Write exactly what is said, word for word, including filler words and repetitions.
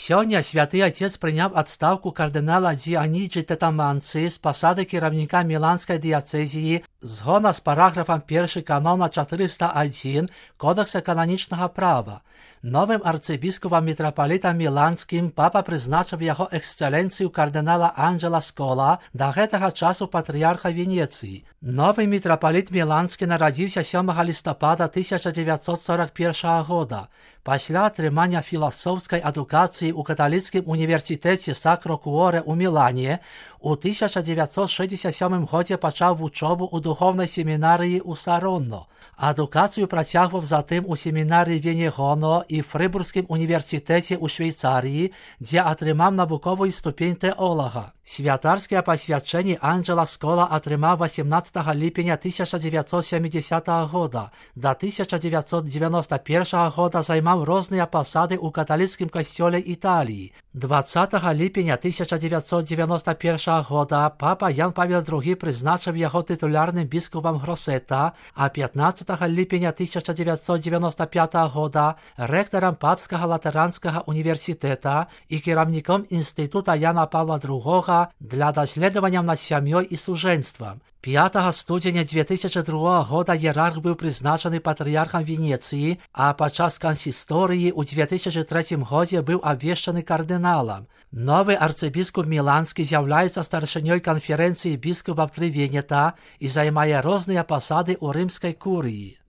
Сёння святы отец прыняў адстаўку кардынала Дзіаніджы Тэтаманцы з пасады кіраўніка Міланскай дыяцэзіі згодна з параграфам першы канона чатырыста адзін Кодекса кананічнага права. Новым арцыбіскупам мітрапалітам міланскім папа прызначыў яго эксцэленцыю кардынала Анджела Скола, да гэтага часу патрыярха Венецыі. Новы мітрапаліт міланскі нарадзіўся сёмага лістапада тысяча дзевяцьсот сорок першага года. Пасля атрымання філасофскай адукацыі ў каталіцкім універсітэце Сакро Куорэ ў Мілане у тысяча дзевяцьсот шэсцьдзесят сёмым годзе пачаў вучобу ў духовнай семінарыі ў Саронно. Адукацыю працягваў затым у семінарыі Венегоно і Фрыбургскім універсітэце ў Швейцарыі, дзе атрымаў навуковую ступень тэолага. Святарскія пасвячэнні Анджела Скола атрымаў васемнаццатага ліпеня тысяча дзевяцьсот сямідзясятага года. Да тысяча дзевяцьсот дзевяноста першага года займаў розныя пасады ў каталіцкім касцёле Італіі. дваццатага ліпеня тысяча дзевяцьсот дзевяноста першага года папа Ян Павел другі прызначыў яго тытулярным біскупам Гросета, а пятнаццатага ліпеня тысяча дзевяцьсот дзевяноста пятага года рэктарам папскага латаранскага універсітэта і кіраўніком інстытута Яна Павла другога для даследаванняў над сям'ёй і сужэнствам. пятага студзеня две тысячи другога года іерарх быў прызначаны патрыярхам Венецыі, а падчас кансісторыі ў две тысячи трэцім годзе быў абвешчаны кардыналам. Новы арцыбіскуп міланскі з'яўляецца старшынёй канферэнцыі біскупаў Трывенета і займае розныя пасады ў рымскай курыі.